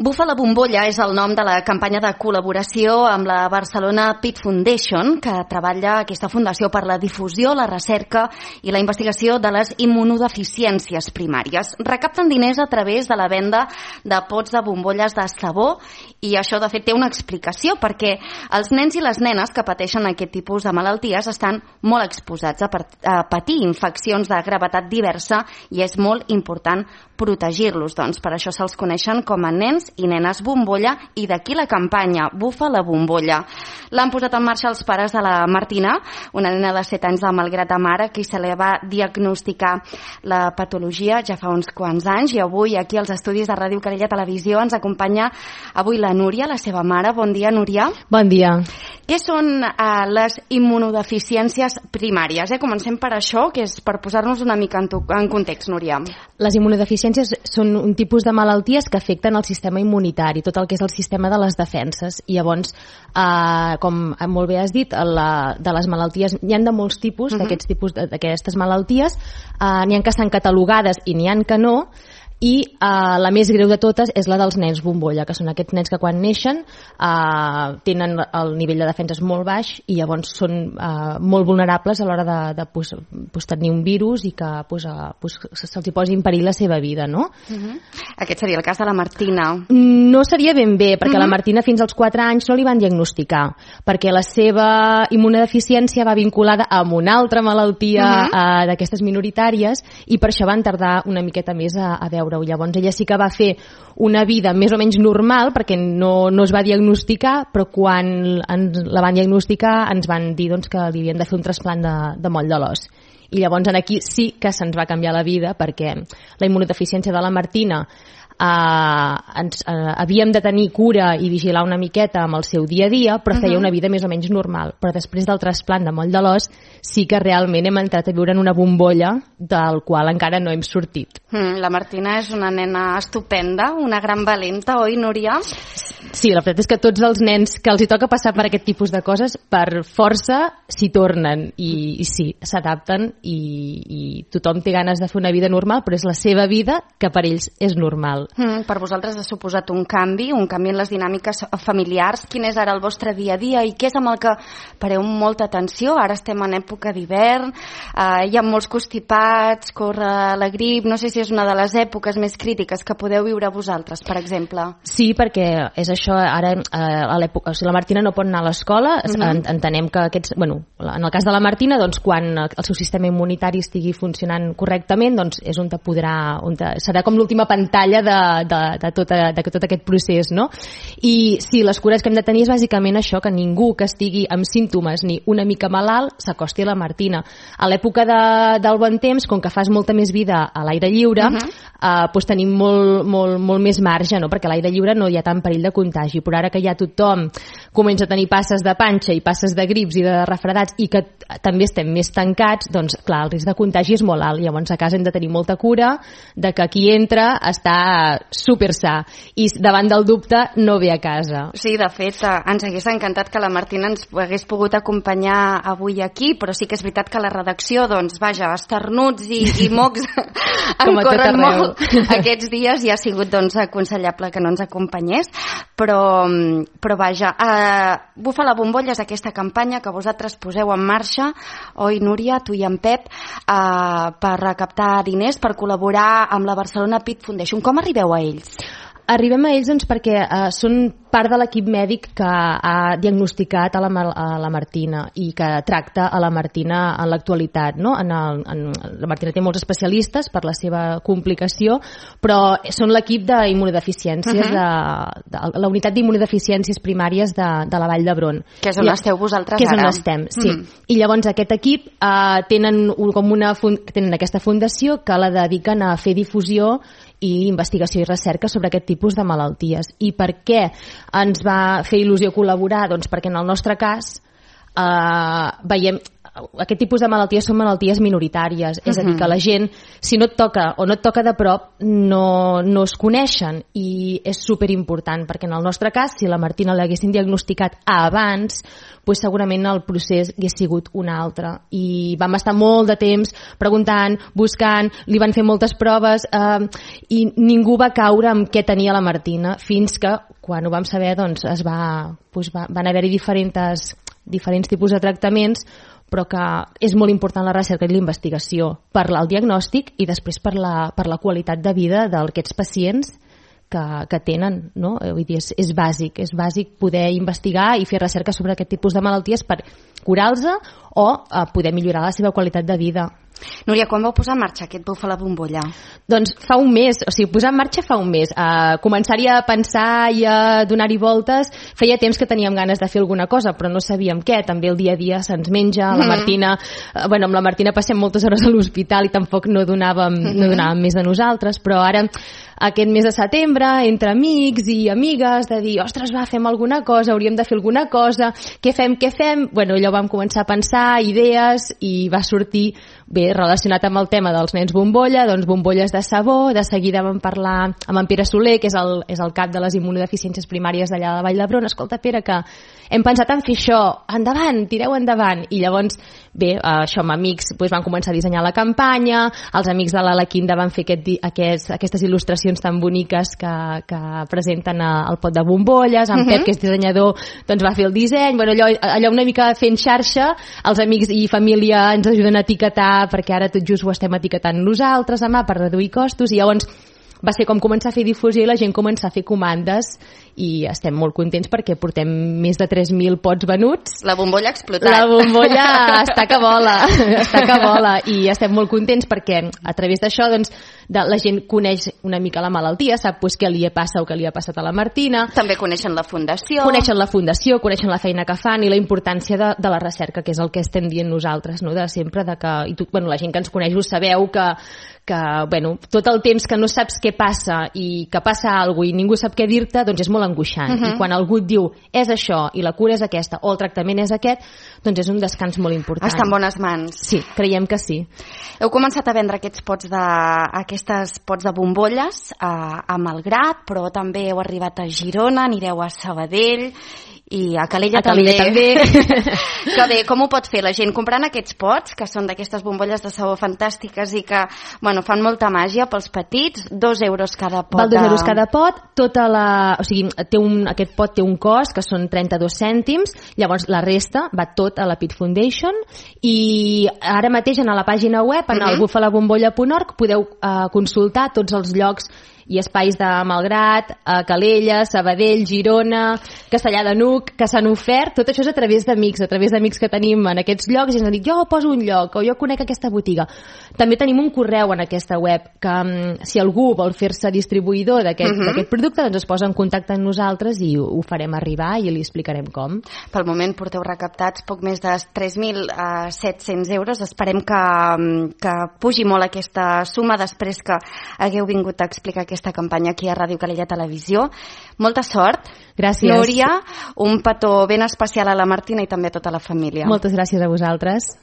Bufa la bombolla és el nom de la campanya de col·laboració amb la Barcelona Pit Foundation, que treballa aquesta fundació per la difusió, la recerca i la investigació de les immunodeficiències primàries. Recapten diners a través de la venda de pots de bombolles de sabó i això, de fet, té una explicació, perquè els nens i les nenes que pateixen aquest tipus de malalties estan molt exposats a patir infeccions de gravetat diversa i és molt important protegir-los. Doncs per això se'ls coneixen com a nens i nenes bombolla i d'aquí la campanya Bufa la bombolla. L'han posat en marxa els pares de la Martina, una nena de 7 anys de Malgrat de Mar, a qui se li va diagnosticar la patologia ja fa uns quants anys, i avui aquí als estudis de Ràdio Calella Televisió ens acompanya avui la Núria, la seva mare. Bon dia, Núria. Bon dia. Què són les immunodeficiències primàries? Comencem per això, que és per posar-nos una mica en context, Núria. Les immunodeficiències són un tipus de malalties que afecten el sistema immunitari, tot el que és el sistema de les defenses. I llavors, com molt bé has dit, de les malalties, n'hi ha de molts tipus, d'aquestes malalties, n'hi ha que estan catalogades i n'hi ha que no, i la més greu de totes és la dels nens bombolla, que són aquests nens que quan neixen tenen el nivell de defenses molt baix i llavors són molt vulnerables a l'hora de tenir un virus i que se'ls posi en perill la seva vida, no? Aquest seria el cas de la Martina. No seria ben bé, perquè la Martina fins als 4 anys no li van diagnosticar, perquè la seva immunodeficiència va vinculada amb una altra malaltia d'aquestes minoritàries i per això van tardar una miqueta més a veure. Llavors ella sí que va fer una vida més o menys normal perquè no es va diagnosticar, però quan la van diagnosticar ens van dir que li havien de fer un trasplant de moll de l'os. I llavors aquí sí que se'ns va canviar la vida, perquè la immunodeficiència de la Martina havíem de tenir cura i vigilar una miqueta amb el seu dia a dia, però feia una vida més o menys normal. Però després del trasplant de moll de l'os sí que realment hem entrat a viure en una bombolla del qual encara no hem sortit. La Martina és una nena estupenda, una gran valenta, oi, Núria? Sí, la veritat és que tots els nens que els hi toca passar per aquest tipus de coses, per força s'hi tornen i sí, s'adapten i tothom té ganes de fer una vida normal, però és la seva vida que per ells és normal. Per vosaltres ha suposat un canvi en les dinàmiques familiars. Quin és ara el vostre dia a dia i què és amb el que pareu molta atenció? Ara estem en època d'hivern, hi ha molts constipats, corre la grip, no sé si és una de les èpoques més crítiques que podeu viure vosaltres, per exemple. Sí, perquè és això, ara la Martina no pot anar a l'escola, entenem que en el cas de la Martina, quan el seu sistema immunitari estigui funcionant correctament, és on serà com l'última pantalla de tot aquest procés, no? I sí, les cures que hem de tenir és bàsicament això, que ningú que estigui amb símptomes ni una mica malalt s'acosti a la Martina. A l'època del bon temps, com que fas molta més vida a l'aire lliure, tenim molt més marge, no? Perquè a l'aire lliure no hi ha tant perill de contagi, però ara que ja tothom comença a tenir passes de panxa i passes de grips i de refredats i que també estem més tancats, doncs clar, el risc de contagi és molt alt. Llavors a casa hem de tenir molta cura de que qui entra està super sa i davant del dubte no ve a casa. Sí, de fet, ens hagués encantat que la Martina ens hagués pogut acompanyar avui aquí, però sí que és veritat que la redacció, esternuts i mocs en corren molt aquests dies i ha sigut aconsellable que no ens acompanyés, però vaja, Bufa la bombolla és aquesta campanya que vosaltres poseu en marxa, oi, Núria, tu i en Pep, per recaptar diners, per col·laborar amb la Barcelona Pit Foundation. Com arribeu a ells? Arribem a ells perquè són part de l'equip mèdic que ha diagnosticat a la Martina i que tracta a la Martina en l'actualitat, no? La Martina té molts especialistes per la seva complicació, però són l'equip d'immunodeficiències, la unitat d'immunodeficiències primàries de la Vall d'Hebron. Que és on esteu vosaltres ara. Que és on estem, sí. I llavors aquest equip tenen aquesta fundació que la dediquen a fer difusió i investigació i recerca sobre aquest tipus de malalties. I per què ens va fer il·lusió col·laborar? Doncs perquè en el nostre cas veiem aquest tipus de malalties són malalties minoritàries, és a dir, que la gent, si no et toca o no et toca de prop, no es coneixen, i és superimportant, perquè en el nostre cas, si la Martina l'haguessin diagnosticat abans, doncs segurament el procés hagués sigut un altre. I vam estar molt de temps preguntant, buscant, li van fer moltes proves, i ningú va caure en què tenia la Martina, fins que, quan ho vam saber, doncs van haver-hi diferents tipus de tractaments, però que és molt important la recerca i la investigació per al diagnòstic i després per la qualitat de vida d'aquests pacients que tenen, no? Vull dir, és bàsic poder investigar i fer recerca sobre aquest tipus de malalties per curar-los o poder millorar la seva qualitat de vida. Núria, quan vau posar en marxa aquest Buf a la bombolla? Doncs fa un mes, o sigui, posar en marxa fa un mes. Començar-hi a pensar i a donar-hi voltes, feia temps que teníem ganes de fer alguna cosa, però no sabíem què. També el dia a dia se'ns menja, la Martina, amb la Martina passem moltes hores a l'hospital i tampoc no donàvem més de nosaltres, però ara aquest mes de setembre, entre amics i amigues, de dir, ostres, fem alguna cosa, hauríem de fer alguna cosa, què fem? Bueno, allò vam començar a pensar, idees, i va sortir, bé, relacionat amb el tema dels nens bombolla, doncs bombolles de sabó. De seguida vam parlar amb en Pere Soler, que és el cap de les immunodeficiències primàries d'allà de Vall d'Hebron. Escolta, Pere, que hem pensat en fer això, endavant, tireu endavant. I llavors, bé, això amb amics van començar a dissenyar la campanya, els amics de l'Alaquinda van fer aquestes il·lustracions tan boniques que presenten el pot de bombolles, en Pep, que és dissenyador, doncs va fer el disseny. Bueno, allò una mica fent xarxa, els amics i família ens ajuden a etiquetar, perquè ara tot just ho estem etiquetant nosaltres a mà per reduir costos, i llavors va ser com començar a fer difusió i la gent començar a fer comandes, i estem molt contents perquè portem més de 3.000 pots venuts. La bombolla ha explotat. La bombolla està que vola, i estem molt contents perquè a través d'això doncs, la gent coneix una mica la malaltia, sap què li passa o què li ha passat a la Martina. També coneixen la fundació. Coneixen la feina que fan i la importància de la recerca, que és el que estem dient nosaltres, no? De sempre, la gent que ens coneix ho sabeu, que tot el temps que no saps què passa i que passa alguna cosa i ningú sap què dir-te, doncs és molt angoixant. I quan algú et diu és això i la cura és aquesta o el tractament és aquest, doncs és un descans molt important. Està en bones mans. Sí, creiem que sí. Heu començat a vendre aquests pots de bombolles a Malgrat, però també heu arribat a Girona, anireu a Sabadell i a Calella també. Que bé, com ho pot fer la gent? Comprant aquests pots, que són d'aquestes bombolles de sabó fantàstiques i que fan molta màgia pels petits, 2 euros cada pot. Val 2 euros cada pot, aquest pot té un cost, que són 32 cèntims, llavors la resta va tot a la Pitt Foundation, i ara mateix a la pàgina web, en el bufalabombolla.org, podeu consultar tots els llocs i espais de Malgrat, Calella, Sabadell, Girona, Castellar de N'Hug, que s'han ofert. Tot això és a través d'amics que tenim en aquests llocs, i ens han dit, jo poso un lloc, o jo conec aquesta botiga. També tenim un correu en aquesta web, que si algú vol fer-se distribuïdor d'aquest producte, doncs es posa en contacte amb nosaltres i ho farem arribar i li explicarem com. Pel moment porteu recaptats poc més de 3.700 euros. Esperem que pugi molt aquesta suma després que hagueu vingut a explicar aquesta campanya aquí a Ràdio Calella Televisió. Molta sort. Gràcies. Núria, un petó ben especial a la Martina i també a tota la família. Moltes gràcies a vosaltres.